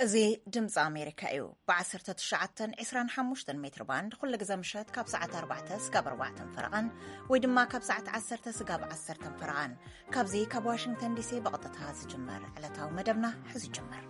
እዚ ድምፂ ኣሜሪካ እዩ። ብ19፣ 25 ሜትር ባንድ ኩሉ ግዜ ምሸት ካብ ሰዓት ኣርባዕተ ስጋብ ኣርባዕተን ፈረቓን፣ ወይ ድማ ካብ ሰዓት ዓሰርተ ስጋብ ዓሰርተን ፈረቓን፣ ካብዚ ካብ ዋሽንግተን ዲሲ ብቐጥታ ዝጅመር ዕለታዊ መደብና ሕዚ ይጅመር።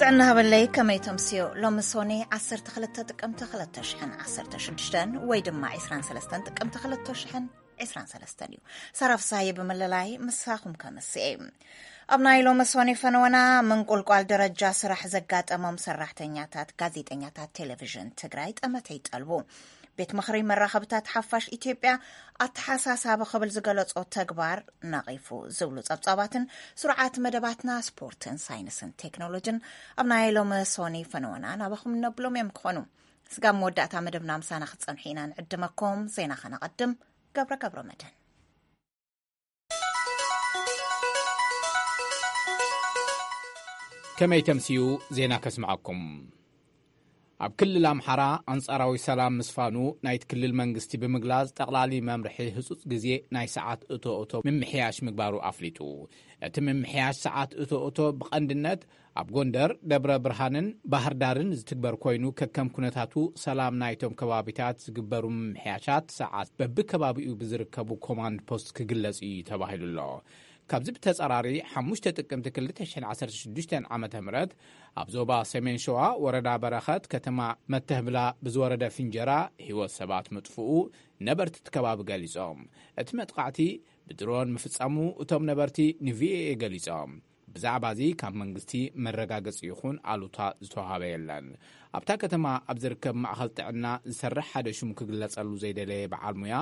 ጥዕና ሃበለይ፣ ከመይ ተምስዮ? ሎሚ ሶኒ 12 ጥቅምቲ 2016፣ ወይ ድማ 23 ጥቅምቲ 2023 እዩ። ሰራፍሳይ ብምልላይ ምሳኹም ከምስኤ። ኣብ ናይ ሎሚ ሶኒ ፈነወና፣ ምንቁልቋል ደረጃ ስራሕ ዘጋጠሞም ሰራሕተኛታት ጋዜጠኛታት ቴሌቪዥን ትግራይ ጠመተ ይጠልቡ። ቤት ምኽሪ መራኸብታት ሓፋሽ ኢትዮጵያ ኣተሓሳሳቢ ክብል ዝገለጾ ተግባር ነቒፉ ዝብሉ ጸብጻባትን ስሩዓት መደባትና ስፖርትን ሳይንስን ቴክኖሎጅን ኣብ ናይ ሎሚ ሶኒ ፈነወና ናባኹም እነብሎም እዮም ክኾኑ። ስጋብ መወዳእታ መደብና ምሳና ክትጸንሑ ኢና ንዕድመኩም። ዜና ከነቐድም። ገብረ ገብረ መድህን። ከመይ ተምስዩ? ዜና ከስምዓኩም። ኣብ ክልል ኣምሓራ ኣንጻራዊ ሰላም ምስፋኑ ናይቲ ክልል መንግስቲ ብምግላጽ፣ ጠቕላሊ መምርሒ ህጹጽ ግዜ ናይ ሰዓት እቶ እቶ ምምሕያሽ ምግባሩ ኣፍሊጡ። እቲ ምምሕያሽ ሰዓት እቶ እቶ ብቐንድነት ኣብ ጎንደር፣ ደብረ ብርሃንን ባህር ዳርን ዝትግበር ኮይኑ፣ ከከም ኩነታቱ ሰላም ናይቶም ከባቢታት ዝግበሩ ምምሕያሻት ሰዓት በብከባቢኡ ብዝርከቡ ኮማንድ ፖስት ክግለጽ እዩ ተባሂሉ ኣሎ። ካብዚ ብተጻራሪ፣ ሓሙሽተ ጥቅምቲ 2016 ዓመተ ምህረት ኣብ ዞባ ሰሜን ሸዋ ወረዳ በረኸት ከተማ መተህብላ ብዝወረደ ፍንጀራ ህይወት ሰባት ምጥፍኡ ነበርቲ እቲ ከባቢ ገሊጾም። እቲ መጥቃዕቲ ብድሮን ምፍጻሙ እቶም ነበርቲ ንቪኦኤ ገሊጾም። ብዛዕባ እዚ ካብ መንግስቲ መረጋገጺ ይኹን ኣሉታ ዝተዋሃበ የለን። ኣብታ ከተማ ኣብ ዝርከብ ማእኸል ጥዕና ዝሰርሕ ሓደ ሽሙ ክግለጸሉ ዘይደለየ በዓል ሙያ፣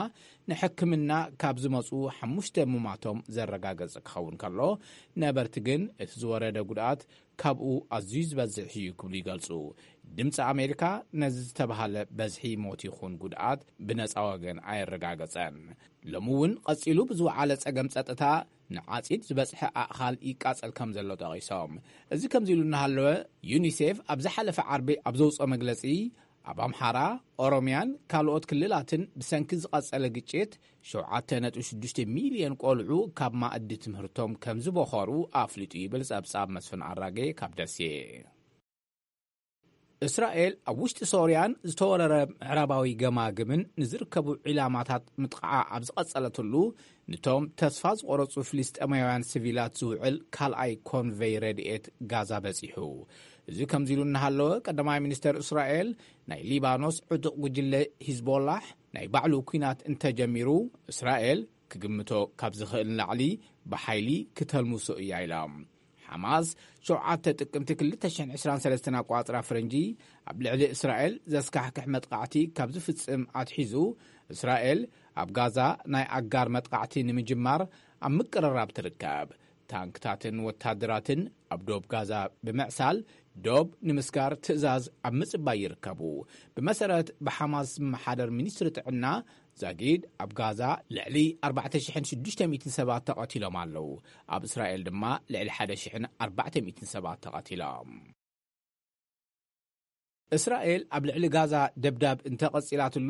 ንሕክምና ካብ ዝመጹ ሓሙሽተ ሙማቶም ዘረጋገጸ ክኸውን ከሎ፣ ነበርቲ ግን እቲ ዝወረደ ጉድኣት ካብኡ ኣዝዩ ዝበዝሕ እዩ ክብሉ ይገልጹ። ድምፂ ኣሜሪካ ነዚ ዝተባሃለ በዝሒ ሞት ይኹን ጉድኣት ብነፃ ወገን ኣየረጋገጸን። ሎሚ እውን ቀጺሉ ብዝወዓለ ጸገም ጸጥታ ንዓጺድ ዝበጽሐ ኣእኻል ይቃጸል ከም ዘሎ ጠቒሶም። እዚ ከምዚ ኢሉ እናሃለወ፣ ዩኒሴፍ ኣብ ዝሓለፈ ዓርቢ ኣብ ዘውፅኦ መግለጺ፣ ኣብ ኣምሓራ፣ ኦሮሚያን ካልኦት ክልላትን ብሰንኪ ዝቐጸለ ግጭት 7.6 ሚልዮን ቆልዑ ካብ ማእዲ ትምህርቶም ከም ዝበኾሩ ኣፍሊጡ ይብል ጸብጻብ መስፍን ኣራጌ ካብ ደሴ። እስራኤል ኣብ ውሽጢ ሶርያን ዝተወረረ ምዕራባዊ ገማግምን ንዝርከቡ ዒላማታት ምጥቃዓ ኣብ ዝቐጸለትሉ፣ ንቶም ተስፋ ዝቆረጹ ፍልስጤማውያን ሲቪላት ዝውዕል ካልኣይ ኮንቨይ ረድኤት ጋዛ በጺሑ። እዚ ከምዚ ኢሉ እናሃለወ፣ ቀዳማይ ሚኒስተር እስራኤል፣ ናይ ሊባኖስ ዕጡቕ ጉጅለ ሂዝቦላሕ ናይ ባዕሉ ኲናት እንተጀሚሩ፣ እስራኤል ክግምቶ ካብ ዝኽእል ንላዕሊ ብሓይሊ ክተልምሶ እያ ኢሎም። ሓማስ 7 ጥቅምቲ 2023 ኣቋጽራ ፈረንጂ ኣብ ልዕሊ እስራኤል ዘስካሕክሕ መጥቃዕቲ ካብ ዝፍጽም ኣትሒዙ፣ እስራኤል ኣብ ጋዛ ናይ ኣጋር መጥቃዕቲ ንምጅማር ኣብ ምቅርራብ ትርከብ። ታንክታትን ወታደራትን ኣብ ዶብ ጋዛ ብምዕሳል፣ ዶብ ንምስጋር ትእዛዝ ኣብ ምጽባይ ይርከቡ። ብመሰረት ብሓማስ ዝመሓደር ሚኒስትሪ ጥዕና፣ ዛጊድ ኣብ ጋዛ ልዕሊ 4,600 ሰባት ተቐቲሎም ኣለዉ። ኣብ እስራኤል ድማ ልዕሊ 1,400 ሰባት ተቐቲሎም። እስራኤል ኣብ ልዕሊ ጋዛ ደብዳብ እንተቐጺላትሉ፣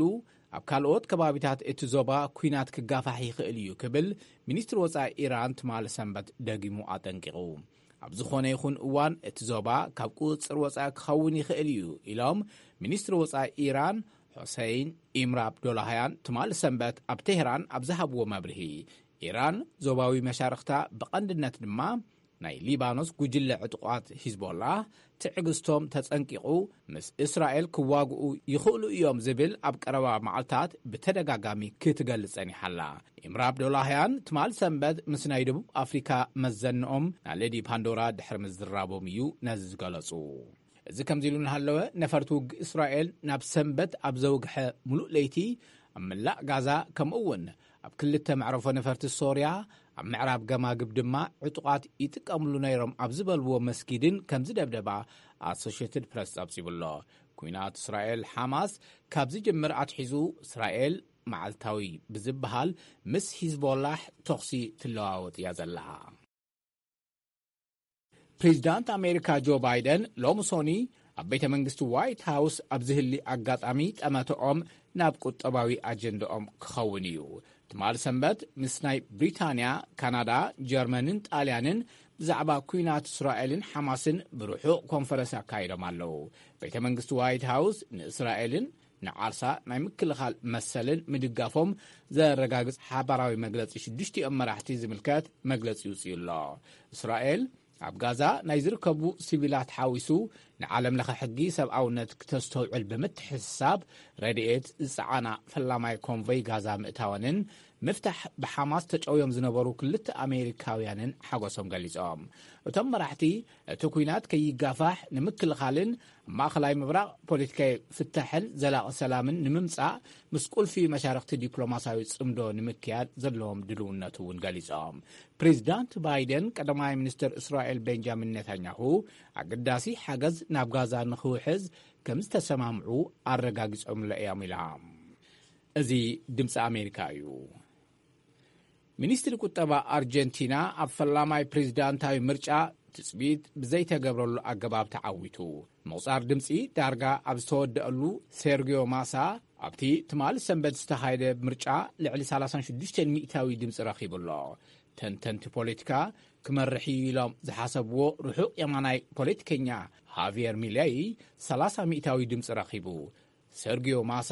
ኣብ ካልኦት ከባቢታት እቲ ዞባ ኲናት ክጋፋሕ ይኽእል እዩ ክብል ሚኒስትሪ ወጻኢ ኢራን ትማሊ ሰንበት ደጊሙ ኣጠንቂቑ። ኣብ ዝኾነ ይኹን እዋን እቲ ዞባ ካብ ቁጽጽር ወጻኢ ክኸውን ይኽእል እዩ ኢሎም ሚኒስትሪ ወጻኢ ኢራን ሑሰይን ኢምር ኣብዶላህያን ትማሊ ሰንበት ኣብ ቴህራን ኣብ ዝሃብዎ መብርሂ፣ ኢራን ዞባዊ መሻርኽታ፣ ብቐንድነት ድማ ናይ ሊባኖስ ጉጅለ ዕጡቓት ሂዝቦላ ትዕግስቶም ተጸንቂቑ፣ ምስ እስራኤል ክዋግኡ ይኽእሉ እዮም ዝብል ኣብ ቀረባ መዓልታት ብተደጋጋሚ ክትገልጽ ጸኒሓ ኣላ። ኢምር ኣብዶላህያን ትማል ሰንበት ምስ ናይ ደቡብ ኣፍሪካ መዘንኦም ናለዲ ፓንዶራ ድሕሪ ምዝራቦም እዩ ነዚ ዝገለጹ። እዚ ከምዚ ኢሉ እናሃለወ፣ ነፈርቲ ውግእ እስራኤል ናብ ሰንበት ኣብ ዘውግሐ ሙሉእ ለይቲ ኣብ መላእ ጋዛ፣ ከምኡ እውን ኣብ ክልተ መዕረፎ ነፈርቲ ሶርያ፣ ኣብ ምዕራብ ገማግብ ድማ ዕጡቓት ይጥቀምሉ ነይሮም ኣብ ዝበልዎ መስጊድን ከም ዝደብደባ ኣሶሽየትድ ፕረስ ጸብጺቡ ኣሎ። ኲናት እስራኤል ሓማስ ካብ ዝጅምር ኣትሒዙ፣ እስራኤል መዓልታዊ ብዝበሃል ምስ ሂዝቦላሕ ተኹሲ ትለዋወጥ እያ ዘላ። ፕሬዚዳንት ኣሜሪካ ጆ ባይደን ሎሚ ሶኒ ኣብ ቤተ መንግስቲ ዋይት ሃውስ ኣብ ዝህሊ ኣጋጣሚ ጠመተኦም ናብ ቁጠባዊ ኣጀንዳኦም ክኸውን እዩ። ትማል ሰንበት ምስ ናይ ብሪታንያ፣ ካናዳ፣ ጀርመንን ጣልያንን ብዛዕባ ኩናት እስራኤልን ሓማስን ብርሑቕ ኮንፈረንስ ኣካይዶም ኣለዉ። ቤተ መንግስቲ ዋይት ሃውስ ንእስራኤልን ንዓርሳ ናይ ምክልኻል መሰልን ምድጋፎም ዘረጋግጽ ሓባራዊ መግለጺ ሽዱሽቲኦም መራሕቲ ዝምልከት መግለጺ ይውጽኡ ኣሎ። እስራኤል ኣብ ጋዛ ናይ ዝርከቡ ሲቪላት ሓዊሱ ንዓለም ለኸ ሕጊ ሰብኣውነት ክተስተውዕል ብምትሕስሳብ ረድኤት ዝጸዓና ፈላማይ ኮንቮይ ጋዛ ምእታወንን ምፍታሕ ብሓማስ ተጨውዮም ዝነበሩ ክልተ ኣሜሪካውያንን ሓጎሶም ገሊጾም። እቶም መራሕቲ እቲ ኩናት ከይጋፋሕ ንምክልኻልን ኣብ ማእኸላይ ምብራቕ ፖለቲካዊ ፍታሕን ዘላቒ ሰላምን ንምምጻእ ምስ ቁልፊ መሻርክቲ ዲፕሎማሲያዊ ጽምዶ ንምክያድ ዘለዎም ድልውነት እውን ገሊጾም። ፕሬዚዳንት ባይደን ቀዳማይ ሚኒስትር እስራኤል ቤንጃሚን ኔታንያሁ ኣገዳሲ ሓገዝ ናብ ጋዛ ንኽውሕዝ ከም ዝተሰማምዑ ኣረጋጊጾምለ እዮም ኢላ። እዚ ድምፂ ኣሜሪካ እዩ። ሚኒስትሪ ቁጠባ ኣርጀንቲና ኣብ ፈላማይ ፕሬዚዳንታዊ ምርጫ ትጽቢት ብዘይተገብረሉ ኣገባብ ተዓዊቱ። ምቑጻር ድምጺ ዳርጋ ኣብ ዝተወደኣሉ ሴርጊዮ ማሳ ኣብቲ ትማሊ ሰንበት ዝተኻየደ ምርጫ ልዕሊ ሰላሳ ሽዱሽተ ሚእታዊ ድምጺ ረኺቡ ኣሎ። ተንተንቲ ፖለቲካ ክመርሕ እዩ ኢሎም ዝሓሰብዎ ርሑቕ የማናይ ፖለቲከኛ ሃቪየር ሚለይ ሰላሳ ሚእታዊ ድምጺ ረኺቡ። ሰርጊዮ ማሳ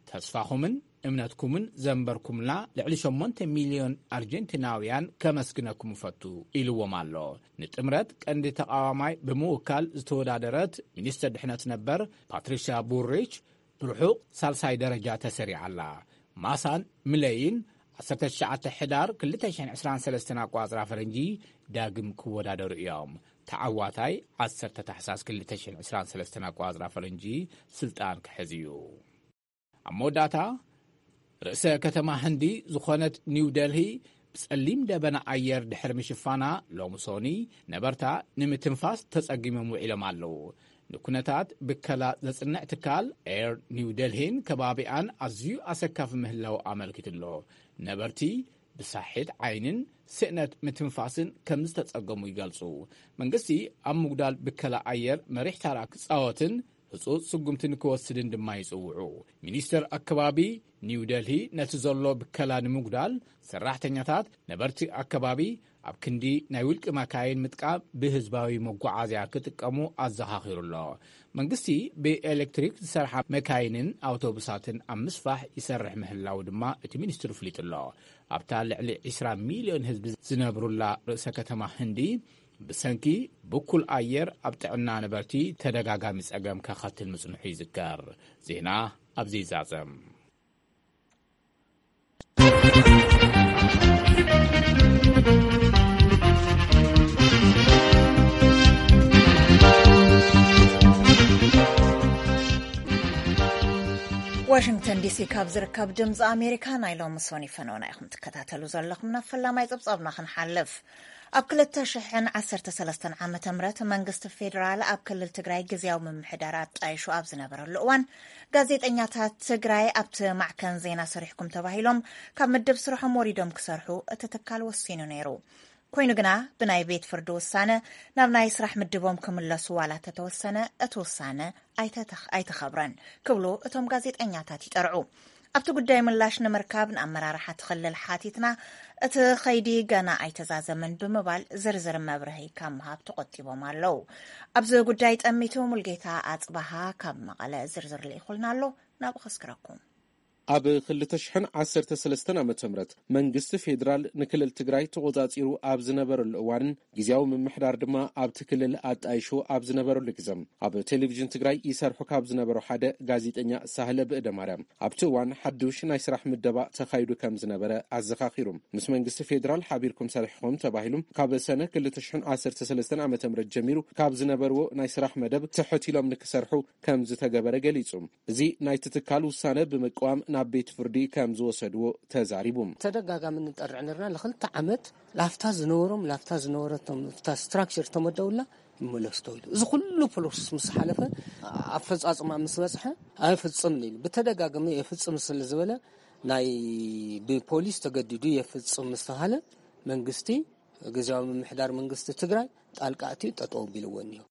ተስፋኹምን እምነትኩምን ዘንበርኩምላ ልዕሊ ሸሞንተ ሚልዮን ኣርጀንቲናውያን ከመስግነኩም እፈቱ ኢልዎም ኣሎ። ንጥምረት ቀንዲ ተቓዋማይ ብምውካል ዝተወዳደረት ሚኒስትር ድሕነት ነበር ፓትሪሻ ቡሪች ብርሑቕ ሳልሳይ ደረጃ ተሰሪዓ ኣላ። ማሳን ምለይን ዓሰርተ ትሽዓተ ሕዳር ክልተ ሽሕን ዕስራን ሰለስተን ኣቋጽራ ፈረንጂ ዳግም ክወዳደሩ እዮም። ተዓዋታይ ዓሰርተ ታሕሳስ ክልተ ሽሕን ዕስራን ሰለስተን ኣቋጽራ ፈረንጂ ስልጣን ክሕዝ እዩ። ኣብ መወዳእታ ርእሰ ከተማ ህንዲ ዝኾነት ኒው ደልሂ ብጸሊም ደበና ኣየር ድሕሪ ምሽፋና ሎሚ ሶኒ ነበርታ ንምትንፋስ ተጸጊሞም ውዒሎም ኣለዉ። ንኩነታት ብከላ ዘጽንዕ ትካል ኤር ኒው ደልሂን ከባቢኣን ኣዝዩ ኣሰካፊ ምህላው ኣመልኪቱ ኣሎ። ነበርቲ ብሳሒት ዓይንን ስእነት ምትንፋስን ከም ዝተጸገሙ ይገልጹ። መንግስቲ ኣብ ምጉዳል ብከላ ኣየር መሪሕ ታራ ክጻወትን ህጹጽ ስጉምቲ ንክወስድን ድማ ይጽውዑ። ሚኒስተር ኣከባቢ ኒው ደልሂ ነቲ ዘሎ ብከላ ንምጉዳል ሰራሕተኛታት ነበርቲ ኣከባቢ ኣብ ክንዲ ናይ ውልቂ መካይን ምጥቃም ብህዝባዊ መጓዓዝያ ክጥቀሙ ኣዘኻኺሩ ኣሎ። መንግስቲ ብኤሌክትሪክ ዝሰርሓ መካይንን ኣውቶቡሳትን ኣብ ምስፋሕ ይሰርሕ ምህላው ድማ እቲ ሚኒስትሪ ኣፍሊጡ ኣሎ። ኣብታ ልዕሊ ዕስራ ሚልዮን ህዝቢ ዝነብሩላ ርእሰ ከተማ ህንዲ ብሰንኪ ብኩል ኣየር ኣብ ጥዕና ነበርቲ ተደጋጋሚ ጸገም ከኸትል ምጽንሑ ይዝከር። ዜና ኣብዚ ይዛዘም። ዋሽንግተን ዲሲ ካብ ዝርከብ ድምፂ ኣሜሪካ ናይ ሎሚ ሶኒ ፈነውና ኢኹም ትከታተሉ ዘለኹም። ናብ ፈላማይ ፀብፃብና ክንሓልፍ። ኣብ ክልተ ሽሕን ዓሰርተ ሰለስተን ዓመተ ምህረት መንግስቲ ፌዴራል ኣብ ክልል ትግራይ ግዝያዊ ምምሕዳር ኣጣይሹ ኣብ ዝነበረሉ እዋን፣ ጋዜጠኛታት ትግራይ ኣብቲ ማዕከን ዜና ሰሪሕኩም ተባሂሎም ካብ ምድብ ስርሖም ወሪዶም ክሰርሑ እቲ ትካል ወሲኑ ነይሩ። ኮይኑ ግና ብናይ ቤት ፍርዲ ውሳነ ናብ ናይ ስራሕ ምድቦም ክምለሱ ዋላ ተተወሰነ፣ እቲ ውሳነ ኣይተተኽ-፣ ኣይተኸብረን ክብሉ እቶም ጋዜጠኛታት ይጠርዑ። ኣብቲ ጉዳይ ምላሽ ንምርካብ ንኣመራርሓ እቲ ክልል ሓቲትና፣ እቲ ኸይዲ ገና ኣይተዛዘመን ብምባል ዝርዝር መብርሂ ካብ ምሃብ ተቖጢቦም ኣለዉ። ኣብዚ ጉዳይ ጠሚቱ ሙልጌታ ኣጽባሃ ካብ መቐለ ዝርዝር ልኢኹልና ኣሎ፣ ናብኡ ከስክረኩም። ኣብ ክልተ ሽሕን ዓሰርተ ሰለስተን ዓመተ ምህረት መንግስቲ ፌዴራል ንክልል ትግራይ ተቖጻጺሩ ኣብ ዝነበረሉ እዋንን ግዝያዊ ምምሕዳር ድማ ኣብቲ ክልል ኣጣይሹ ኣብ ዝነበረሉ ግዘ፣ ኣብ ቴሌቪዥን ትግራይ ይሰርሑ ካብ ዝነበሩ ሓደ ጋዜጠኛ ሳህለ ብእደ ማርያም፣ ኣብቲ እዋን ሓዱሽ ናይ ስራሕ ምደባ ተኻይዱ ከም ዝነበረ ኣዘኻኺሩ። ምስ መንግስቲ ፌዴራል ሓቢርኩም ሰሪሕኹም ተባሂሉ ካብ ሰነ ክልተ ሽሕን ዓሰርተ ሰለስተን ዓመተ ምህረት ጀሚሩ ካብ ዝነበርዎ ናይ ስራሕ መደብ ትሕት ኢሎም ንክሰርሑ ከም ዝተገበረ ገሊጹ። እዚ ናይቲ ትካል ውሳነ ብምቅዋም ናብ ቤት ፍርዲ ከም ዝወሰድዎ ተዛሪቡ። ተደጋጋሚ ንጠርዕ ነርና። ንክልተ ዓመት ላፍታ ዝነበሮም፣ ላፍታ ዝነበረቶም፣ እታ ስትራክቸር ተመደውላ ይመለስ ተባሂሉ። እዚ ኩሉ ፕሮሰስ ምስ ሓለፈ፣ ኣፈጻጽማ ምስ በጽሐ፣ ኣይፍጽምን ኢሉ ብተደጋጋሚ የፍጽም ስለ ዝበለ፣ ናይ ብፖሊስ ተገዲዱ የፍጽም ምስ ተባሃለ፣ መንግስቲ፣ ግዝያዊ ምምሕዳር መንግስቲ ትግራይ ጣልቃ ኣትዩ ጠጠው ኣቢልዎ እኒሆ።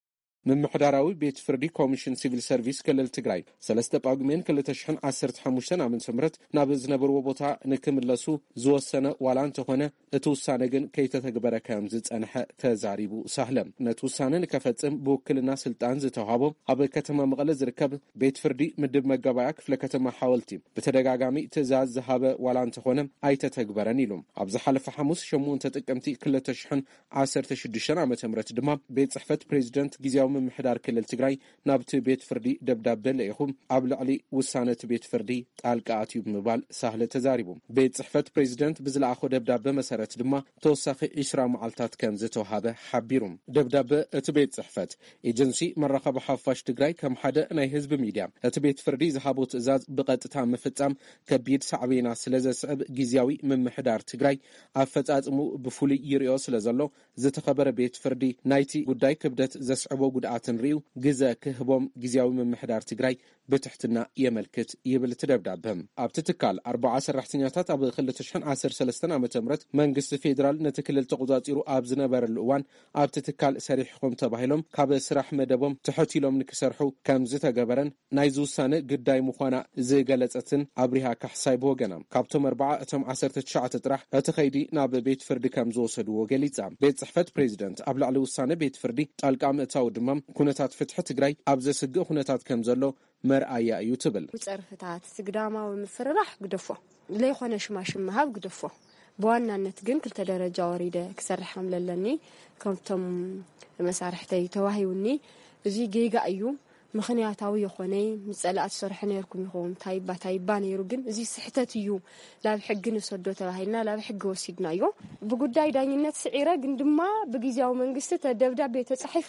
ምምሕዳራዊ ቤት ፍርዲ ኮሚሽን ሲቪል ሰርቪስ ክልል ትግራይ ሰለስተ ጳጉሜን ክልተ ሽሕን ዓሰርተ ሓሙሽተን ዓመተ ምህረት ናብ ዝነበርዎ ቦታ ንክምለሱ ዝወሰነ ዋላ እንተኾነ፣ እቲ ውሳነ ግን ከይተተግበረ ከም ዝጸንሐ ተዛሪቡ። ሳህለ ነቲ ውሳነ ንከፈጽም ብውክልና ስልጣን ዝተዋሃቦ ኣብ ከተማ መቐለ ዝርከብ ቤት ፍርዲ ምድብ መጋባእያ ክፍለ ከተማ ሓወልቲ ብተደጋጋሚ ትእዛዝ ዝሃበ ዋላ እንተኾነ ኣይተተግበረን ኢሉ። ኣብ ዝሓለፈ ሓሙስ ሸሞንተ ጥቅምቲ ክልተ ሽሕን ዓሰርተ ሽዱሽተን ዓመተ ምህረት ድማ ቤት ጽሕፈት ፕሬዚደንት ግዝያዊ ምምሕዳር ክልል ትግራይ ናብቲ ቤት ፍርዲ ደብዳበ ለኢኹ ኣብ ልዕሊ ውሳነ እቲ ቤት ፍርዲ ጣልቃ ኣትዩ ብምባል ሳህለ ተዛሪቡ። ቤት ጽሕፈት ፕሬዚደንት ብዝለኣኾ ደብዳበ መሰረት ድማ ተወሳኺ ዕስራ መዓልታት ከም ዝተዋሃበ ሓቢሩ። ደብዳበ እቲ ቤት ጽሕፈት ኤጀንሲ መራኸቢ ሓፋሽ ትግራይ ከም ሓደ ናይ ህዝቢ ሚድያ እቲ ቤት ፍርዲ ዝሃቦ ትእዛዝ ብቐጥታ ምፍጻም ከቢድ ሳዕቤና ስለ ዘስዕብ ግዝያዊ ምምሕዳር ትግራይ ኣፈጻጽሙ ብፍሉይ ይሪኦ ስለ ዘሎ ዝተኸበረ ቤት ፍርዲ ናይቲ ጉዳይ ክብደት ዘስዕቦ ጉድኣትን ሪኡ ግዘ ክህቦም ግዝያዊ ምምሕዳር ትግራይ ብትሕትና የመልክት ይብል እቲ ደብዳበ። ኣብቲ ትካል ኣርባዓ ሰራሕተኛታት ኣብ ክልተ ሽሕን ዓሰርተ ሰለስተን ዓመተ ምህረት መንግስቲ ፌዴራል ነቲ ክልል ተቆጻጺሩ ኣብ ዝነበረሉ እዋን ኣብቲ ትካል ሰሪሕኹም ተባሂሎም ካብ ስራሕ መደቦም ትሕት ኢሎም ንክሰርሑ ከም ዝተገበረን ናይዚ ውሳነ ግዳይ ምዃና ዝገለጸትን ኣብሪሃ ካሕሳይ ብወገና ካብቶም ኣርባዓ እቶም ዓሰርተ ትሽዓተ ጥራሕ እቲ ኸይዲ ናብ ቤት ፍርዲ ከም ዝወሰድዎ ገሊጻ። ቤት ጽሕፈት ፕሬዚደንት ኣብ ልዕሊ ውሳነ ቤት ፍርዲ ጣልቃ ምእታው ድማ ኩነታት ፍትሒ ትግራይ ኣብ ዘስግእ ኩነታት ከም ዘሎ መርኣያ እዩ ትብል። ጸርፍታት፣ ስግዳማዊ ምፍርራሕ ግደፎ፣ ዘይኮነ ሽማሽም ምሃብ ግደፎ። ብዋናነት ግን ክልተ ደረጃ ወሪደ ክሰርሕ ከም ለለኒ ከምቶም መሳርሕተይ ተዋሂቡኒ። እዚ ጌጋ እዩ። ምኽንያታዊ የኾነ ምስ ጸላእቲ ትሰርሑ ነርኩም ኢኹም፣ ታይባ ታይባ ነይሩ፣ ግን እዚ ስሕተት እዩ፣ ናብ ሕጊ ንሰዶ ተባሂልና ናብ ሕጊ ወሲድናዮ። ብጉዳይ ዳኝነት ስዒረ፣ ግን ድማ ብግዝያዊ መንግስቲ ተ-፣ ደብዳቤ ተጻሒፉ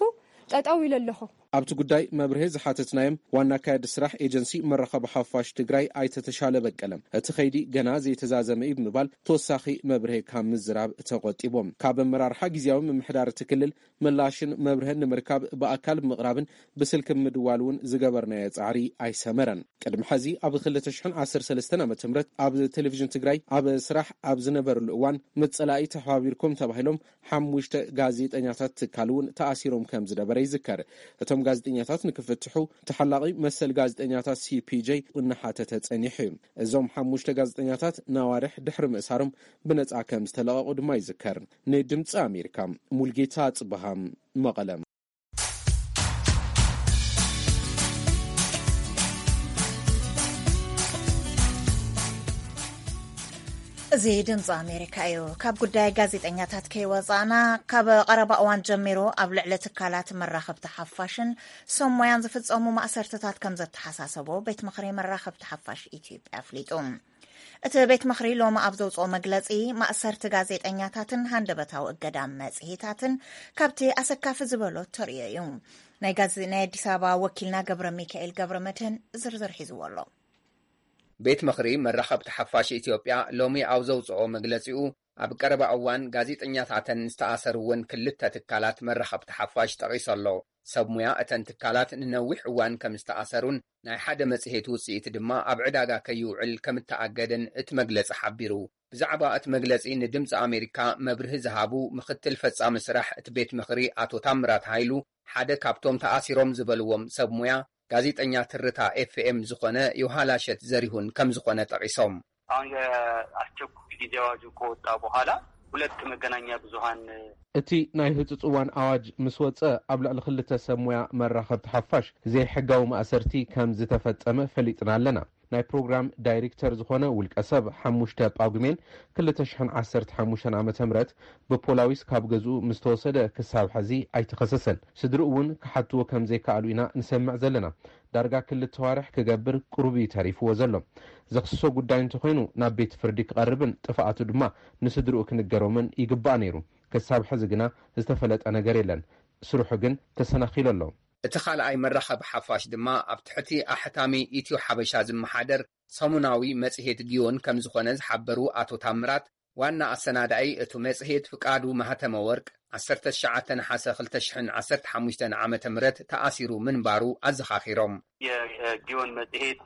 ጠጠው ኢለ ኣለኹ። ኣብቲ ጉዳይ መብርሄ ዝሓተትናዮም ዋና ኣካያዲ ስራሕ ኤጀንሲ መራኸቢ ሓፋሽ ትግራይ ኣይተ ተሻለ በቀለ፣ እቲ ኸይዲ ገና ዘይተዛዘመ እዩ ብምባል ተወሳኺ መብርሄ ካብ ምዝራብ ተቆጢቦም። ካብ ኣመራርሓ ግዝያዊ ምምሕዳር እቲ ክልል ምላሽን መብርህን ንምርካብ ብኣካል ብምቕራብን ብስልኪ ብምድዋል እውን ዝገበርናዮ ጻዕሪ ኣይሰመረን። ቅድሚ ሐዚ ኣብ ክልተ ሽሕን ዓሰርተ ሰለስተን ዓመተ ምህረት ኣብ ቴሌቪዥን ትግራይ ኣብ ስራሕ ኣብ ዝነበርሉ እዋን ምስ ጸላኢ ተሓባቢርኩም ተባሂሎም ሓሙሽተ ጋዜጠኛታት ትካል እውን ተኣሲሮም ከም ዝነበረ ይዝከር። እቶም ጋዜጠኛታት ንክፍትሑ ተሓላቒ መሰል ጋዜጠኛታት ሲ ፒ ጄ እናሓተተ ጸኒሑ እዩ። እዞም ሓሙሽተ ጋዜጠኛታት ናዋርሕ ድሕሪ ምእሳሮም ብነጻ ከም ዝተለቐቑ ድማ ይዝከር። ንድምፂ ኣሜሪካ ሙልጌታ ጽበሃ መቐለ። እዚ ድምፂ ኣሜሪካ እዩ። ካብ ጉዳይ ጋዜጠኛታት ከይወፃእና፣ ካብ ቀረባ እዋን ጀሚሩ ኣብ ልዕሊ ትካላት መራኸብቲ ሓፋሽን ሰብ ሞያን ዝፍፀሙ ማእሰርትታት ከም ዘተሓሳሰቦ ቤት ምኽሪ መራኸብቲ ሓፋሽ ኢትዮጵያ ኣፍሊጡ። እቲ ቤት ምኽሪ ሎሚ ኣብ ዘውፅኦ መግለፂ፣ ማእሰርቲ ጋዜጠኛታትን ሃንደበታዊ እገዳ መፅሄታትን ካብቲ ኣሰካፊ ዝበሎ ተርእዮ እዩ። ናይ ጋዜ-፣ ናይ ኣዲስ ኣበባ ወኪልና ገብረ ሚካኤል ገብረ መድህን ዝርዝር ሒዝዎ ኣሎ። ቤት ምኽሪ መራኸብቲ ሓፋሽ ኢትዮጵያ ሎሚ ኣብ ዘውፅኦ መግለፂኡ፣ ኣብ ቀረባ እዋን ጋዜጠኛታተን ዝተኣሰሩ እውን ክልተ ትካላት መራኸብቲ ሓፋሽ ጠቒሱ ኣሎ። ሰብ ሙያ እተን ትካላት ንነዊሕ እዋን ከም ዝተኣሰሩን ናይ ሓደ መጽሔት ውጽኢት ድማ ኣብ ዕዳጋ ከይውዕል ከም እተኣገደን እቲ መግለጺ ሓቢሩ። ብዛዕባ እቲ መግለጺ ንድምጺ ኣሜሪካ መብርሂ ዝሃቡ ምኽትል ፈጻሚ ስራሕ እቲ ቤት ምኽሪ ኣቶ ታምራት ሃይሉ፣ ሓደ ካብቶም ተኣሲሮም ዝበልዎም ሰብ ሙያ ጋዜጠኛ ትርታ ኤፍ ኤም ዝኾነ ዮሃላሸት ዘሪሁን ከም ዝኾነ ጠቒሶም። አሁን የአስቸኳይ ጊዜ አዋጁ ከወጣ በኋላ ሁለት መገናኛ ብዙሃን እቲ ናይ ህጹጽ እዋን ኣዋጅ ምስ ወጸ፣ ኣብ ልዕሊ ክልተ ሰብ ሞያ መራኸብቲ ሓፋሽ ዘይሕጋዊ ማእሰርቲ ከም ዝተፈጸመ ፈሊጥና ኣለና። ናይ ፕሮግራም ዳይሬክተር ዝኾነ ውልቀ ሰብ፣ ሓሙሽተ ጳጉሜን ክልተ ሽሕን ዓሰርተ ሓሙሽተን ዓመተ ምህረት ብፖላዊስ ካብ ገዝኡ ምስ ተወሰደ፣ ክሳብ ሕዚ ኣይተኸሰሰን። ስድርኡ እውን ክሓትዎ ከም ዘይከኣሉ ኢና ንሰምዕ ዘለና። ዳርጋ ክልተ ዋርሕ ክገብር ቅሩብ እዩ ተሪፍዎ ዘሎ። ዘኽስሶ ጉዳይ እንተኾይኑ ናብ ቤት ፍርዲ ክቐርብን ጥፍኣቱ ድማ ንስድርኡ ክንገሮምን ይግባእ ነይሩ። ክሳብ ሕዚ ግና ዝተፈለጠ ነገር የለን። ስርሑ ግን ተሰናኺሉ ኣሎ። እቲ ካልኣይ መራኸቢ ሓፋሽ ድማ ኣብ ትሕቲ ኣሕታሚ ኢትዮ ሓበሻ ዝመሓደር ሰሙናዊ መጽሔት ጊዮን ከም ዝኾነ ዝሓበሩ ኣቶ ታምራት፣ ዋና ኣሰናዳኢ እቱ መጽሔት ፍቃዱ ማህተመ ወርቅ፣ ዓሰርተ ትሽዓተ ነሓሰ ክልተ ሽሕን ዓሰርተ ሓሙሽተን ዓመተ ምህረት ተኣሲሩ ምንባሩ ኣዘኻኺሮም። የጊዮን መጽሔት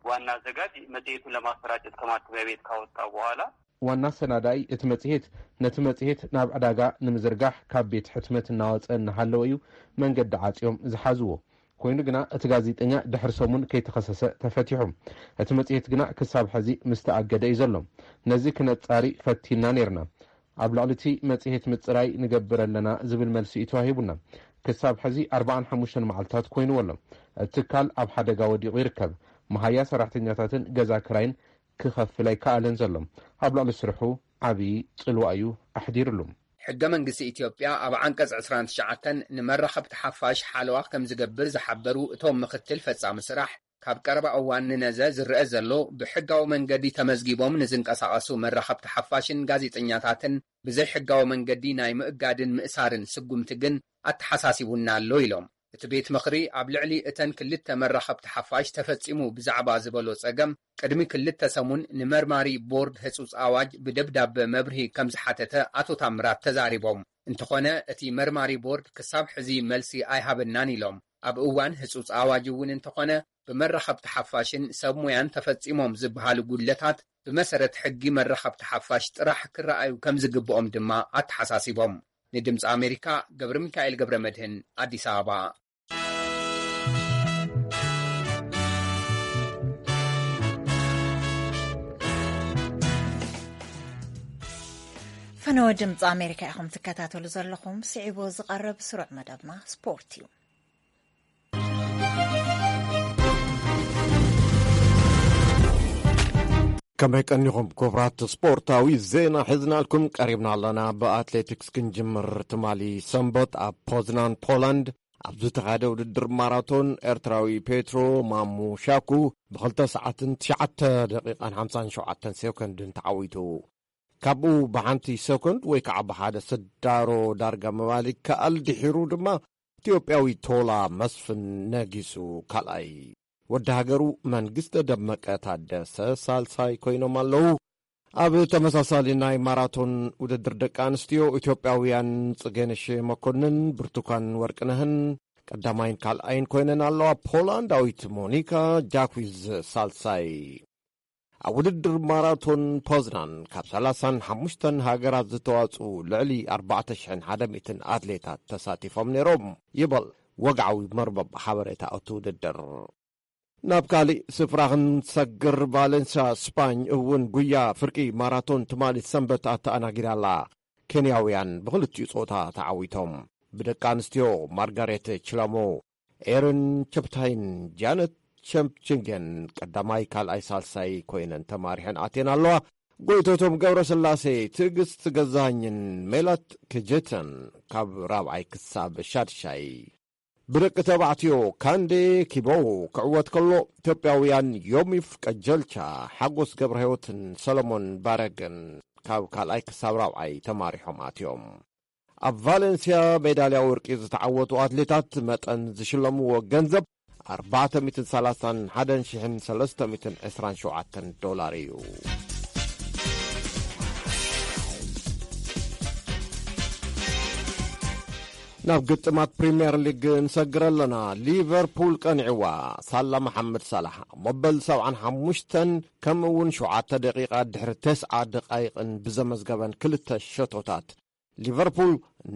ዋና አዘጋጅ መጽሔቱን ለማሰራጨት ከማተሚያ ቤት ካወጣ በኋላ ዋና ሰናዳኢ እቲ መጽሔት፣ ነቲ መጽሔት ናብ ዕዳጋ ንምዝርጋሕ ካብ ቤት ሕትመት እናወጸ እናሃለወ እዩ መንገዲ ዓጽዮም ዝሓዝዎ። ኮይኑ ግና፣ እቲ ጋዜጠኛ ድሕሪ ሰሙን ከይተኸሰሰ ተፈቲሑ። እቲ መጽሔት ግና ክሳብ ሕዚ ምስ ተኣገደ እዩ ዘሎ። ነዚ ክነጻሪ ፈቲና ነይርና። ኣብ ልዕሊ እቲ መጽሔት ምጽራይ ንገብር ኣለና ዝብል መልሲ እዩ ተዋሂቡና። ክሳብ ሕዚ ኣርባዓን ሓሙሽተን መዓልታት ኮይንዎ ኣሎ። እቲ ትካል ኣብ ሓደጋ ወዲቑ ይርከብ። መሃያ ሰራሕተኛታትን ገዛ ክራይን ክኸፍል ኣይከኣለን ዘሎ። ኣብ ልዕሊ ስርሑ ዓብዪ ጽልዋ እዩ ኣሕዲርሉ። ሕገ መንግስቲ ኢትዮጵያ ኣብ ዓንቀጽ ዕስራን ትሽዓተን ንመራኸብቲ ሓፋሽ ሓለዋ ከም ዝገብር ዝሓበሩ እቶም ምክትል ፈጻሚ ስራሕ፣ ካብ ቀረባ እዋን ንነዘ ዝረአ ዘሎ ብሕጋዊ መንገዲ ተመዝጊቦም ንዝንቀሳቐሱ መራኸብቲ ሓፋሽን ጋዜጠኛታትን ብዘይ ሕጋዊ መንገዲ ናይ ምእጋድን ምእሳርን ስጉምቲ ግን ኣተሓሳሲቡና ኣሎ ኢሎም። እቲ ቤት ምኽሪ ኣብ ልዕሊ እተን ክልተ መራኸብቲ ሓፋሽ ተፈጺሙ ብዛዕባ ዝበሎ ጸገም ቅድሚ ክልተ ሰሙን ንመርማሪ ቦርድ ህጹጽ ኣዋጅ ብደብዳበ መብርሂ ከም ዝሓተተ ኣቶ ታምራት ተዛሪቦም። እንተኾነ እቲ መርማሪ ቦርድ ክሳብ ሕዚ መልሲ ኣይሃበናን ኢሎም። ኣብ እዋን ህጹጽ ኣዋጅ እውን እንተኾነ ብመራኸብቲ ሓፋሽን ሰብ ሞያን ተፈጺሞም ዝበሃሉ ጉድለታት ብመሰረት ሕጊ መራኸብቲ ሓፋሽ ጥራሕ ክረኣዩ ከም ዝግብኦም ድማ ኣተሓሳሲቦም። ንድምፂ ኣሜሪካ ገብረ ሚካኤል ገብረ መድህን ኣዲስ ኣበባ። ፈነወ ድምፂ ኣሜሪካ ኢኹም ትከታተሉ ዘለኹም። ስዒቡ ዝቐርብ ስሩዕ መደብና ስፖርት እዩ። ከመይ ቀኒኹም ክቡራት? ስፖርታዊ ዜና ሒዝናልኩም ቀሪብና ኣለና። ብኣትሌቲክስ ክንጅምር። ትማሊ ሰንበት ኣብ ፖዝናን ፖላንድ ኣብ ዝተኻየደ ውድድር ማራቶን፣ ኤርትራዊ ፔትሮ ማሙ ሻኩ ብኽልተ ሰዓትን ትሽዓተ ደቂቓን ሓምሳን ሸውዓተን ሴኮንድን ተዓዊቱ። ካብኡ ብሓንቲ ሰኮንድ ወይ ከዓ ብሓደ ስዳሮ ዳርጋ ምባል ይከኣል። ድሒሩ ድማ ኢትዮጵያዊ ቶላ መስፍን ነጊሱ ካልኣይ። ወዲ ሃገሩ መንግስተ ደመቀ ታደሰ ሳልሳይ ኮይኖም ኣለዉ። ኣብ ተመሳሳሊ ናይ ማራቶን ውድድር ደቂ ኣንስትዮ፣ ኢትዮጵያውያን ጽጌነሽ መኮንን፣ ብርቱካን ወርቅነህን ቀዳማይን ካልኣይን ኮይነን ኣለዋ። ፖላንዳዊት ሞኒካ ጃኩዝ ሳልሳይ። ኣብ ውድድር ማራቶን ፖዝናን ካብ ሰላሳን ሓሙሽተን ሃገራት ዝተዋጽኡ ልዕሊ ኣርባዕተ ሽሕን ሓደ ሚእትን ኣትሌታት ተሳቲፎም ነይሮም ይበል ወግዓዊ መርበብ ሓበሬታ እቲ ውድድር። ናብ ካሊእ ስፍራ ክንሰግር፣ ቫሌንስያ ስፓኝ እውን ጉያ ፍርቂ ማራቶን ትማሊ ሰንበት ኣተኣናጊዳ ኣላ። ኬንያውያን ብኽልቲኡ ጾታ ተዓዊቶም። ብደቂ ኣንስትዮ ማርጋሬት ችላሞ፣ ኤረን ቸፕታይን ጃነት ቸምፕችንገን ቀዳማይ፣ ካልኣይ፣ ሳልሳይ ኮይነን ተማሪሐን ኣትየን ኣለዋ። ጎይቶቶም ገብረስላሴ፣ ትዕግስት ገዛኸኝን ሜላት ክጀተን ካብ ራብዓይ ክሳብ ሻድሻይ። ብደቂ ተባዕትዮ ካንዴ ኪቦ ክዕወት ከሎ፣ ኢትዮጵያውያን ዮሚፍ ቀጀልቻ፣ ሓጎስ ገብረህይወትን ሰለሞን ባረግን ካብ ካልኣይ ክሳብ ራብዓይ ተማሪሖም ኣትዮም። ኣብ ቫሌንስያ ሜዳልያ ወርቂ ዝተዓወቱ ኣትሌታት መጠን ዝሽለምዎ ገንዘብ ኣርባዕተ ሚእትን ሰላሳን ሓደን ሽሕን ሰለስተ ሚእትን ዕስራን ሸውዓተን ዶላር እዩ። ናብ ግጥማት ፕሪምየር ሊግ ንሰግር ኣለና። ሊቨርፑል ቀኒዕዋ። ሳላ መሓመድ ሳላሕ ኣብ መበል ሰብዓን ሓሙሽተን ከምኡ እውን ሸውዓተ ደቂቓ ድሕሪ ተስዓ ደቃይቕን ብዘመዝገበን ክልተ ሸቶታት፣ ሊቨርፑል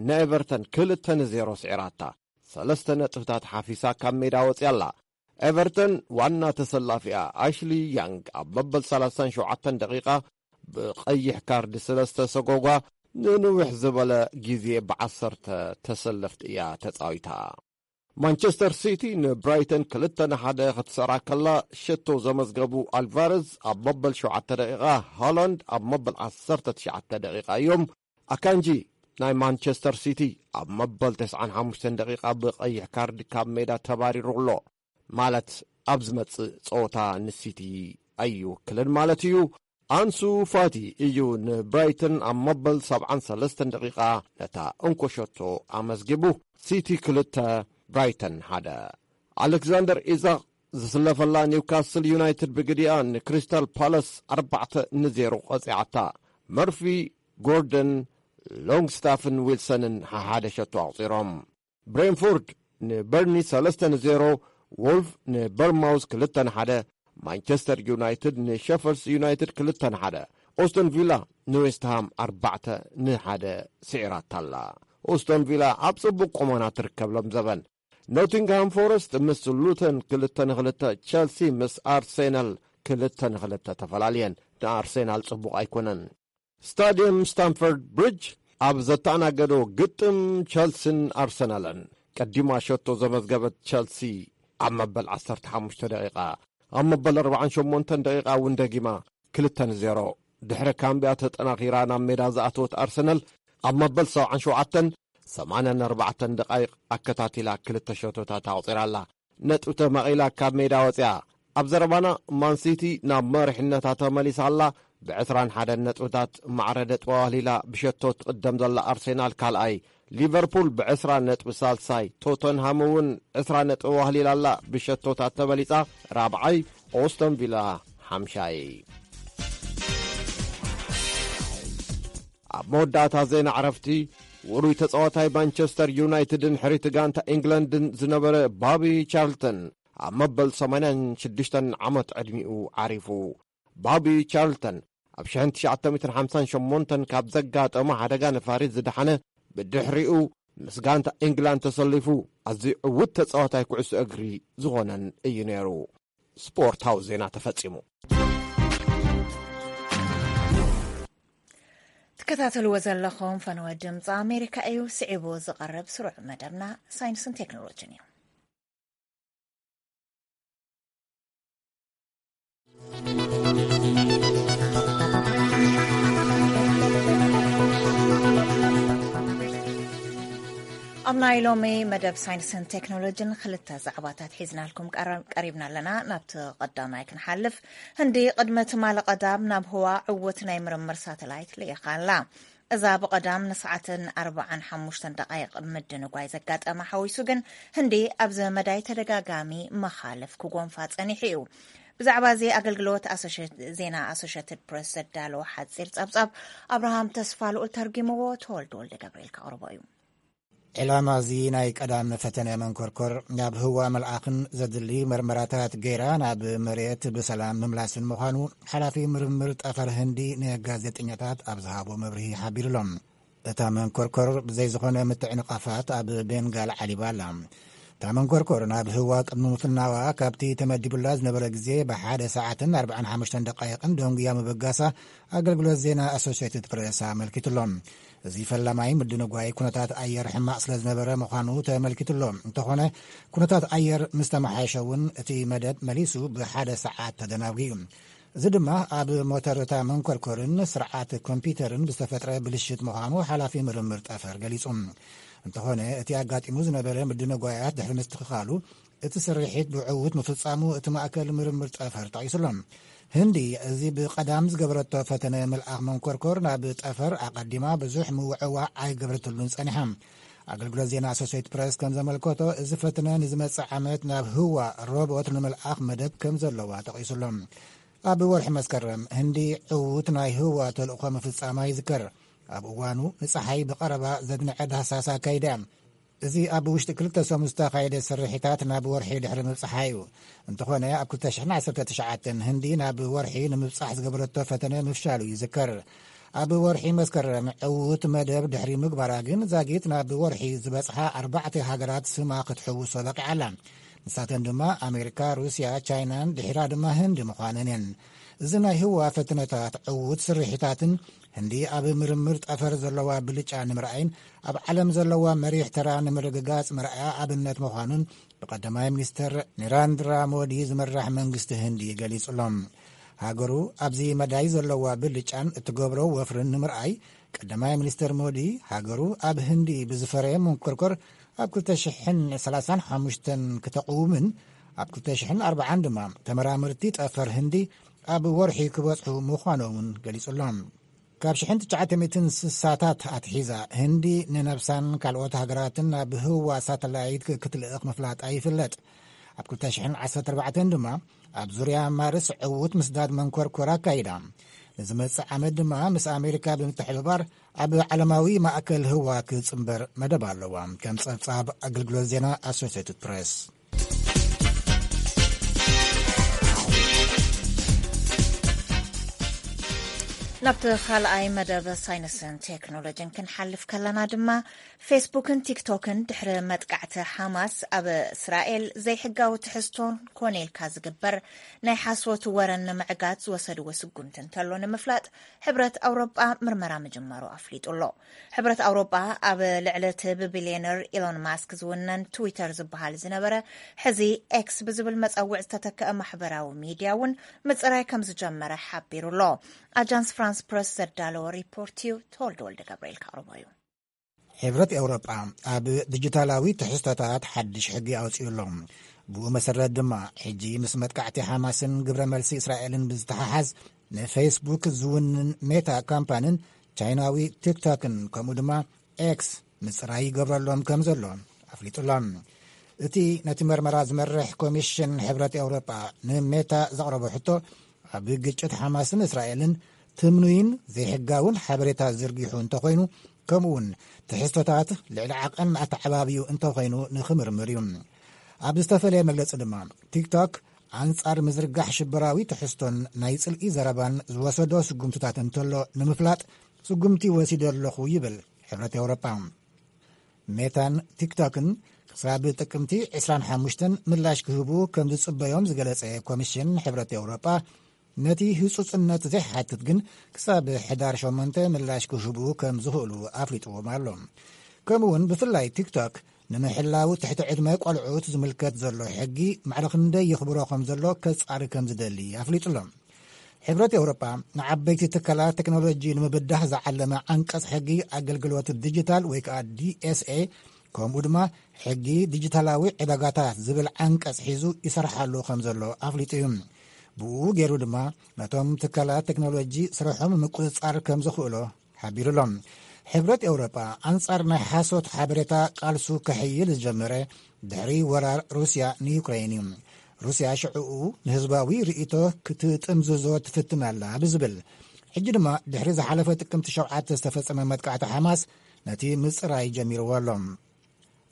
ንኤቨርተን ክልተ ንዜሮ ስዒራታ። ሰለስተ ነጥብታት ሓፊሳ ካብ ሜዳ ወፂኣ ኣላ። ኤቨርተን ዋና ተሰላፊኣ ኣሽሊ ያንግ ኣብ መበል ሰላሳን ሸውዓተን ደቂቓ ብቐይሕ ካርድ ስለ ዝተሰጎጓ፣ ንንውሕ ዝበለ ግዜ ብዓሰርተ ተሰለፍት እያ ተጻዊታ። ማንቸስተር ሲቲ ንብራይተን ክልተ ንሓደ ክትሰራ ከላ፣ ሸቶ ዘመዝገቡ ኣልቫረዝ ኣብ መበል ሸውዓተ ደቂቓ፣ ሃላንድ ኣብ መበል ዓሰርተ ትሽዓተ ደቂቓ እዮም። ኣካንጂ ናይ ማንቸስተር ሲቲ ኣብ መበል ተስዓን ሓሙሽተን ደቂቓ ብቐይሕ ካርድ ካብ ሜዳ ተባሪሩ ኣሎ። ማለት ኣብ ዝመጽእ ጸወታ ንሲቲ ኣይውክልን ማለት እዩ። ኣንሱ ፋቲ እዩ ንብራይተን ኣብ መበል ሰብዓን ሰለስተን ደቂቓ ነታ እንኮ ሸቶ ኣመዝጊቡ። ሲቲ ክልተ፣ ብራይተን ሓደ። ኣሌክዛንደር ኢዛቕ ዝስለፈላ ኒውካስል ዩናይትድ ብግዲኣ ንክሪስታል ፓላስ ኣርባዕተ ንዜሮ ቀጺዓታ። መርፊ፣ ጎርደን፣ ሎንግስታፍን ዊልሰንን ሓሓደ ሸቶ ኣቑጺሮም። ብሬንፎርድ ንበርኒ ሰለስተ ንዜሮ፣ ዎልፍ ንበርማውዝ ክልተ ንሓደ፣ ማንቸስተር ዩናይትድ ንሸፈልስ ዩናይትድ ክልተ ንሓደ፣ ኦስተን ቪላ ንዌስትሃም ኣርባዕተ ንሓደ ስዒራታ ኣላ። ኦስቶን ቪላ ኣብ ጽቡቕ ቁመና ትርከብ ሎም ዘበን። ኖቲንግሃም ፎረስት ምስ ሉተን ክልተ ንክልተ፣ ቸልሲ ምስ ኣርሴናል ክልተ ንክልተ ተፈላልየን። ንኣርሴናል ጽቡቕ ኣይኮነን። ስታድየም ስታንፈርድ ብሪጅ ኣብ ዘተኣናገዶ ግጥም ቸልሲን ኣርሰናልን ቀዲማ ሸቶ ዘመዝገበት ቸልሲ ኣብ መበል ዓሰርተ ሓሙሽተ ደቂቃ፣ ኣብ መበል ኣርባዓን ሸሞንተን ደቂቃ እውን ደጊማ ክልተ ንዜሮ ድሕሪ ካምቢያ ተጠናኺራ ናብ ሜዳ ዝኣተወት ኣርሰናል ኣብ መበል ሰብዓን ሸውዓተን ሰማንያን ኣርባዕተን ደቃይቕ ኣከታቲላ ክልተ ሸቶታት ኣቑጺራ ኣላ። ነጥቢ ተማቒላ ካብ ሜዳ ወፂኣ። ኣብ ዘረባና ማንሲቲ ናብ መሪሕነታ ተመሊሳ ኣላ። ብ ዕስራን ሓደን ነጥብታት ማዕረ ነጥባ ዋህሊላ ብሸቶ ትቕደም ዘላ ኣርሴናል ካልኣይ፣ ሊቨርፑል ብ ዕስራ ነጥቢ ሳልሳይ፣ ቶተንሃም እውን ዕስራ ነጥቢ ዋህሊላ ኣላ ብሸቶታት ተበሊጻ ራብዓይ፣ ኦስተን ቪላ ሓምሻይ። ኣብ መወዳእታ ዜና ዕረፍቲ፣ ውሩይ ተጻዋታይ ማንቸስተር ዩናይትድን ሕሪት ጋንታ ኢንግላንድን ዝነበረ ባቢ ቻርልተን ኣብ መበል ሰማንያን ሽዱሽተን ዓመት ዕድሚኡ ዓሪፉ። ባቢ ቻርልተን ኣብ ሽሕን ትሽዓተ ሚእትን ሓምሳን ሸሞንተን ካብ ዘጋጠሞ ሓደጋ ነፋሪት ዝደሓነ፣ ብድሕሪኡ ምስ ጋንታ ኢንግላንድ ተሰሊፉ ኣዝዩ ዕዉት ተጻዋታይ ኩዕሶ እግሪ ዝኾነን እዩ ነይሩ። ስፖርታዊ ዜና ተፈጺሙ። ትከታተልዎ ዘለኹም ፈነወ ድምፂ ኣሜሪካ እዩ። ስዒቡ ዝቐርብ ስሩዕ መደብና ሳይንስን ቴክኖሎጂን እዩ። ኣብ ናይ ሎሚ መደብ ሳይንስን ቴክኖሎጂን ክልተ ዛዕባታት ሒዝናልኩም ቀረ-፣ ቀሪብና ኣለና። ናብቲ ቀዳማይ ክንሓልፍ፣ ህንዲ ቅድሚ ትማሊ ቀዳም ናብ ህዋ ዕዉት ናይ ምርምር ሳተላይት ልኢኻ ኣላ። እዛ ብቐዳም ንሰዓትን ኣርባዓን ሓሙሽተን ደቃይቕ ምድንጓይ ዘጋጠማ ሓዊሱ ግን፣ ህንዲ ኣብዚ መዳይ ተደጋጋሚ መኻልፍ ክጎንፋ ጸኒሑ እዩ። ብዛዕባ እዚ ኣገልግሎት ኣሶሼት-፣ ዜና ኣሶሼትድ ፕሬስ ዘዳለዎ ሓጺር ጸብጻብ ኣብርሃም ተስፋ ልኡል ተርጊምዎ፣ ተወልደ ወልደ ገብርኤል ከቕርቦ እዩ። ዕላማ እዚ ናይ ቀዳም ፈተነ መንኮርኮር ናብ ህዋ መልኣኽን ዘድሊ መርመራታት ገይራ ናብ መሬት ብሰላም ምምላስን ምዃኑ ሓላፊ ምርምር ጠፈር ህንዲ ንጋዜጠኛታት ኣብ ዝሃቦ መብርሂ ሓቢሩሎም። እታ መንኮርኮር ብዘይ ዝኾነ ምትዕንቓፋት ኣብ ቤንጋል ዓሊባ ኣላ። እታ መንኮርኮር ናብ ህዋ ቅድሚ ምፍናዋ ካብቲ ተመዲቡላ ዝነበረ ግዜ ብሓደ ሰዓትን ኣርባዓን ሓሙሽተን ደቃይቕን ደንጉያ ምብጋሳ ኣገልግሎት ዜና ኣሶሲየትድ ፕሬስ ኣመልኪቱሎ። እዚ ፈላማይ ምድንጓይ ኩነታት ኣየር ሕማቕ ስለ ዝነበረ ምዃኑ ተመልኪቱሎ። እንተኾነ ኩነታት ኣየር ምስ ተመሓየሸ እውን እቲ መደብ መሊሱ ብሓደ ሰዓት ተደናጒ እዩ። እዚ ድማ ኣብ ሞተር እታ መንኮርኮርን ስርዓት ኮምፒተርን ብዝተፈጥረ ብልሽት ምዃኑ ሓላፊ ምርምር ጠፈር ገሊጹ። እንተኾነ እቲ ኣጋጢሙ ዝነበረ ምድንጓያት ድሕሪ ምስትኽኻሉ እቲ ስርሒት ብዕዉት ምፍጻሙ እቲ ማእከል ምርምር ጠፈር ጠቒሱሎ። ህንዲ እዚ ብቐዳም ዝገበረቶ ፈተነ ምልኣኽ መንኮርኮር ናብ ጠፈር ኣቐዲማ ብዙሕ ምውዕዋዕ ኣይገበረትሉን ጸኒሓ። ኣገልግሎት ዜና ኣሶሴትድ ፕረስ ከም ዘመልከቶ፣ እዚ ፈተነ ንዝመጽእ ዓመት ናብ ህዋ ሮቦት ንምልኣኽ መደብ ከም ዘለዋ ጠቒሱሎ። ኣብ ወርሒ መስከረም ህንዲ ዕዉት ናይ ህዋ ተልእኾ ምፍጻማ ይዝከር። ኣብ እዋኑ ንጸሓይ ብቐረባ ዘድንዐ ዳህሳስ ኣካይዳ እያ። እዚ ኣብ ውሽጢ ክልተ ሰሙን ዝተኻየደ ስርሒታት ናብ ወርሒ ድሕሪ ምብጽሓ እዩ። እንተኾነ፣ ኣብ ክልተ ሽሕን ዓሰርተ ትሽዓተን ህንዲ ናብ ወርሒ ንምብጻሕ ዝገበረቶ ፈተነ ምፍሻሉ ይዝከር። ኣብ ወርሒ መስከረም ዕዉት መደብ ድሕሪ ምግባራ ግን፣ ዛጊት ናብ ወርሒ ዝበጽሓ ኣርባዕተ ሃገራት ስማ ክትሕውሶ በቂዓ ኣላ። ንሳተን ድማ ኣሜሪካ፣ ሩስያ፣ ቻይናን ድሒራ ድማ ህንዲ ምዃነን እየን። እዚ ናይ ህዋ ፈተነታት ዕዉት ስርሒታትን ህንዲ ኣብ ምርምር ጠፈር ዘለዋ ብልጫ ንምርኣይን ኣብ ዓለም ዘለዋ መሪሕ ተራ ንምርግጋጽ መርኣያ ኣብነት ምዃኑን ብቀዳማይ ሚኒስተር ኒራንድራ ሞዲ ዝምራሕ መንግስቲ ህንዲ ገሊጹ ኣሎ። ሃገሩ ኣብዚ መዳይ ዘለዋ ብልጫን እትገብሮ ወፍርን ንምርኣይ፣ ቀዳማይ ሚኒስተር ሞዲ፣ ሃገሩ ኣብ ህንዲ ብዝፈረየ መንኮርኮር ኣብ ክልተ ሽሕን ሰላሳን ሓሙሽተን ክተቕውምን፣ ኣብ ክልተ ሽሕን ኣርባዓን ድማ ተመራመርቲ ጠፈር ህንዲ ኣብ ወርሒ ክበጽሑ ምዃኖምን ገሊጹ ኣሎ። ካብ ሽሕን ትሽዓተ ሚእትን ስሳታት ኣትሒዛ፣ ህንዲ ንነብሳን ካልኦት ሃገራትን ናብ ህዋ ሳተላይት ክትልእኽ ምፍላጣ ይፍለጥ። ኣብ ክልተ ሽሕን ዓሰርተ ኣርባዕተን ድማ ኣብ ዙርያ ማርስ ዕዉት ምስዳድ መንኮርኮር ኣካይዳ። ንዝመጽእ ዓመት ድማ ምስ ኣሜሪካ ብምትሕብባር ኣብ ዓለማዊ ማእከል ህዋ ክጽንበር መደብ ኣለዋ። ከም ጸብጻብ ኣገልግሎት ዜና ኣሶሴትድ ፕሬስ። ናብቲ ካልኣይ መደብ ሳይንስን ቴክኖሎጂን ክንሓልፍ ከለና ድማ፣ ፌስቡክን ቲክቶክን ድሕሪ መጥቃዕቲ ሓማስ ኣብ እስራኤል ዘይሕጋዊ ትሕዝቶን ኮነ ኢልካ ዝግበር ናይ ሓሶት ወረን ንምዕጋት ዝወሰድዎ ስጉምቲ እንተሎ ንምፍላጥ፣ ሕብረት ኣውሮጳ ምርመራ ምጅማሩ ኣፍሊጡ ኣሎ። ሕብረት ኣውሮጳ ኣብ ልዕሊ እቲ ብቢልዮነር ኢሎን ማስክ ዝውነን ትዊተር ዝበሃል ዝነበረ፣ ሕዚ ኤክስ ብዝብል መጸውዕ ዝተተከአ ማሕበራዊ ሚድያ እውን ምጽራይ ከም ዝጀመረ ሓቢሩ ኣሎ። ኣጃንስ ፍራንስ ፕረስ ዘዳለዎ ሪፖርት እዩ። ተወልደ ወልደ ገብርኤል ከቕርቦ እዩ። ሕብረት ኤውሮጳ ኣብ ዲጂታላዊ ትሕዝቶታት ሓድሽ ሕጊ ኣውጺኡ ኣሎ። ብኡ መሰረት ድማ፣ ሕጂ ምስ መጥቃዕቲ ሓማስን ግብረ መልሲ እስራኤልን ብዝተሓሓዝ፣ ንፌስቡክ ዝውንን ሜታ ካምፓንን ቻይናዊ ቲክቶክን፣ ከምኡ ድማ ኤክስ፣ ምጽራይ ይገብረሎም ከም ዘሎ ኣፍሊጡ ኣሎ። እቲ ነቲ መርመራ ዝመርሕ ኮሚሽን ሕብረት ኤውሮጳ ንሜታ ዘቕረቦ ሕቶ፣ ኣብ ግጭት ሓማስን እስራኤልን ትምኑይን ዘይሕጋውን ሓበሬታ ዝርጊሑ እንተኾይኑ፣ ከምኡውን ትሕዝቶታት ልዕሊ ዓቐን ኣተዓባብዩ እንተኾይኑ ንኽምርምር እዩ። ኣብ ዝተፈለየ መግለጺ ድማ፣ ቲክቶክ ኣንጻር ምዝርጋሕ ሽበራዊ ትሕዝቶን ናይ ጽልኢ ዘረባን ዝወሰዶ ስጉምትታት እንተሎ ንምፍላጥ ስጉምቲ ወሲደ ኣለኹ ይብል ሕብረት ኤውሮጳ። ሜታን ቲክቶክን ክሳብ ጥቅምቲ ዕስራን ሓሙሽተን ምላሽ ክህቡ ከም ዝጽበዮም ዝገለጸ ኮሚሽን ሕብረት ኤውሮጳ፣ ነቲ ህጹጽነት ዘይሓትት ግን ክሳብ ሕዳር ሸሞንተ ምላሽ ክህቡ ከም ዝኽእሉ ኣፍሊጥዎም ኣሎ። ከምኡውን ብፍላይ ቲክቶክ ንምሕላው ትሕቲ ዕድመ ቆልዑት ዝምልከት ዘሎ ሕጊ ማዕረ ክንደይ ይኽብሮ ከም ዘሎ ከጻሪ ከም ዝደሊ ኣፍሊጡ ኣሎ። ሕብረት ኤውሮጳ ንዓበይቲ ትካላት ቴክኖሎጂ ንምብዳህ ዝዓለመ ዓንቀጽ ሕጊ ኣገልግሎት ዲጂታል ወይ ከዓ ዲኤስኤ፣ ከምኡ ድማ ሕጊ ዲጂታላዊ ዕዳጋታት ዝብል ዓንቀጽ ሒዙ ይሰርሓሉ ከም ዘሎ ኣፍሊጡ እዩ። ብኡ ገይሩ ድማ ነቶም ትካላት ቴክኖሎጂ ስርሖም ምቁጽጻር ከም ዝኽእሎ ሓቢሩ ኣሎ። ሕብረት ኤውሮጳ ኣንጻር ናይ ሓሶት ሓበሬታ ቃልሱ ከሕይል ዝጀመረ ድሕሪ ወራር ሩስያ ንዩክሬን እዩ። ሩስያ ሽዕኡ ንህዝባዊ ርእይቶ ክትጥምዝዞ ትፍትን ኣላ ብዝብል፣ ሕጂ ድማ ድሕሪ ዝሓለፈ ጥቅምቲ ሸውዓተ ዝተፈጸመ መጥቃዕቲ ሓማስ ነቲ ምጽራይ ጀሚርዎ ኣሎ።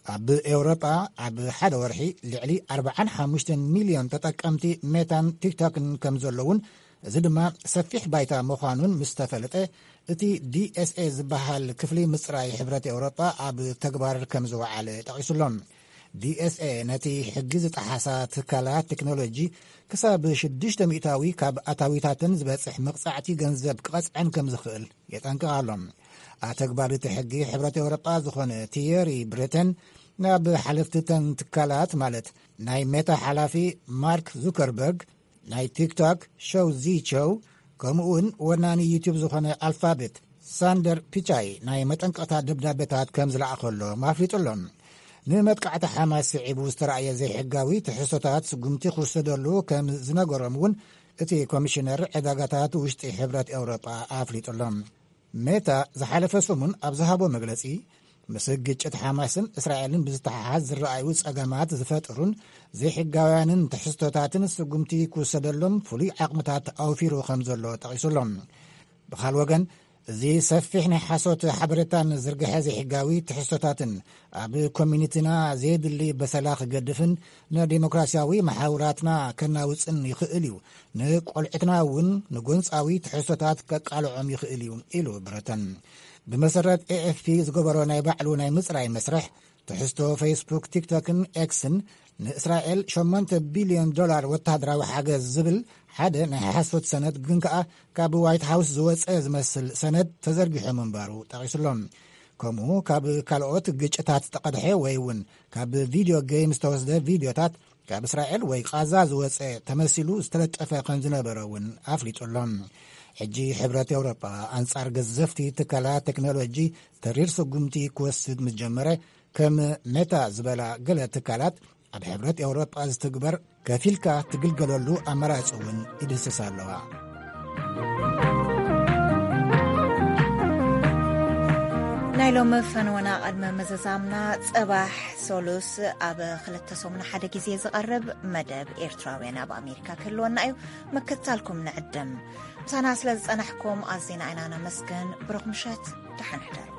ኣብ ኤውሮጳ ኣብ ሓደ ወርሒ ልዕሊ ኣርባዓን ሓሙሽተን ሚልዮን ተጠቀምቲ ሜታን ቲክቶክን ከም ዘለውን፣ እዚ ድማ ሰፊሕ ባይታ ምዃኑን ምስ ተፈለጠ፣ እቲ ዲኤስኤ ዝበሃል ክፍሊ ምጽራይ ሕብረት ኤውሮጳ ኣብ ተግባር ከም ዝወዓለ ጠቒሱ ኣሎ። ዲኤስኤ ነቲ ሕጊ ዝጠሓሳ ትካላት ቴክኖሎጂ ክሳብ ሽዱሽተ ሚእታዊ ካብ ኣታዊታተን ዝበጽሕ መቕጻዕቲ ገንዘብ ክቐጽዐን ከም ዝኽእል የጠንቅቕ ኣሎ። ኣተግባሪ እቲ ሕጊ ሕብረት ኤውሮጳ ዝኾነ ቲየሪ ብሪተን፣ ናብ ሓለፍቲ እተን ትካላት፣ ማለት ናይ ሜታ ሓላፊ ማርክ ዙከርበርግ፣ ናይ ቲክቶክ ሾው ዚ ቸው፣ ከምኡ እውን ወናኒ ዩቱብ ዝኾነ ኣልፋቤት ሳንደር ፒቻይ ናይ መጠንቀቕታ ደብዳቤታት ከም ዝለኣኸሎም ኣፍሊጡ ኣሎ። ንመጥቃዕቲ ሓማስ ስዒቡ ዝተራእየ ዘይሕጋዊ ትሕዝቶታት ስጉምቲ ክውሰደሉ ከም ዝነገሮም እውን እቲ ኮሚሽነር ዕዳጋታት ውሽጢ ሕብረት ኤውሮጳ ኣፍሊጡ ኣሎ። ሜታ ዝሓለፈ ሰሙን ኣብ ዝሃቦ መግለጺ፣ ምስ ግጭት ሓማስን እስራኤልን ብዝተሓሓዝ ዝረኣዩ ጸገማት ዝፈጥሩን ዘይሕጋውያንን ትሕዝቶታትን ስጉምቲ ክውሰደሎም ፍሉይ ዓቕምታት ኣውፊሩ ከም ዘሎ ጠቒሱ ኣሎ። ብኻል ወገን፣ እዚ ሰፊሕ ናይ ሓሶት ሓበሬታን ዝርግሐ ዘይሕጋዊ ትሕዝቶታትን ኣብ ኮሚኒቲና ዘየድሊ በሰላ ክገድፍን ንዲሞክራሲያዊ መሓውራትና ከናውጽን ይኽእል እዩ። ንቆልዑትና እውን ንጎንጻዊ ትሕዝቶታት ከቃልዖም ይኽእል እዩ፣ ኢሉ ብረተን። ብመሰረት ኤኤፍፒ ዝገበሮ ናይ ባዕሉ ናይ ምጽራይ መስርሕ፣ ትሕዝቶ ፌስቡክ፣ ቲክቶክን ኤክስን ንእስራኤል ሸሞንተ ቢልዮን ዶላር ወተሃደራዊ ሓገዝ ዝብል ሓደ ናይ ሓሶት ሰነድ፣ ግን ከኣ ካብ ዋይት ሃውስ ዝወጸ ዝመስል ሰነድ ተዘርጊሑ ምንባሩ ጠቒሱሎም። ከምኡ ካብ ካልኦት ግጭታት ዝተቐድሐ ወይ እውን ካብ ቪድዮ ጌም ዝተወስደ ቪድዮታት፣ ካብ እስራኤል ወይ ቃዛ ዝወጸ ተመሲሉ ዝተለጠፈ ከም ዝነበረ እውን ኣፍሊጡ ኣሎ። ሕጂ ሕብረት ኤውሮጳ ኣንጻር ገዘፍቲ ትካላት ቴክኖሎጂ ተሪር ስጉምቲ ክወስድ ምስ ጀመረ፣ ከም ሜታ ዝበላ ገለ ትካላት ኣብ ሕብረት ኤውሮጳ ዝትግበር ከፊልካ ትግልገለሉ ኣማራጺ እውን ይድህስስ ኣለዋ። ናይ ሎሚ ፈነወና ቅድሚ ምዝዛምና፣ ጽባሕ ሶሉስ ኣብ ክልተ ሰሙን ሓደ ግዜ ዝቐርብ መደብ ኤርትራውያን ኣብ ኣሜሪካ ክህልወና እዩ። ምክትታልኩም ንዕድም። ምሳና ስለ ዝጸናሕኩም ኣዚና ኢና ነመስግን። ብሩኽ ምሸት፣ ደሓን ሕደሩ።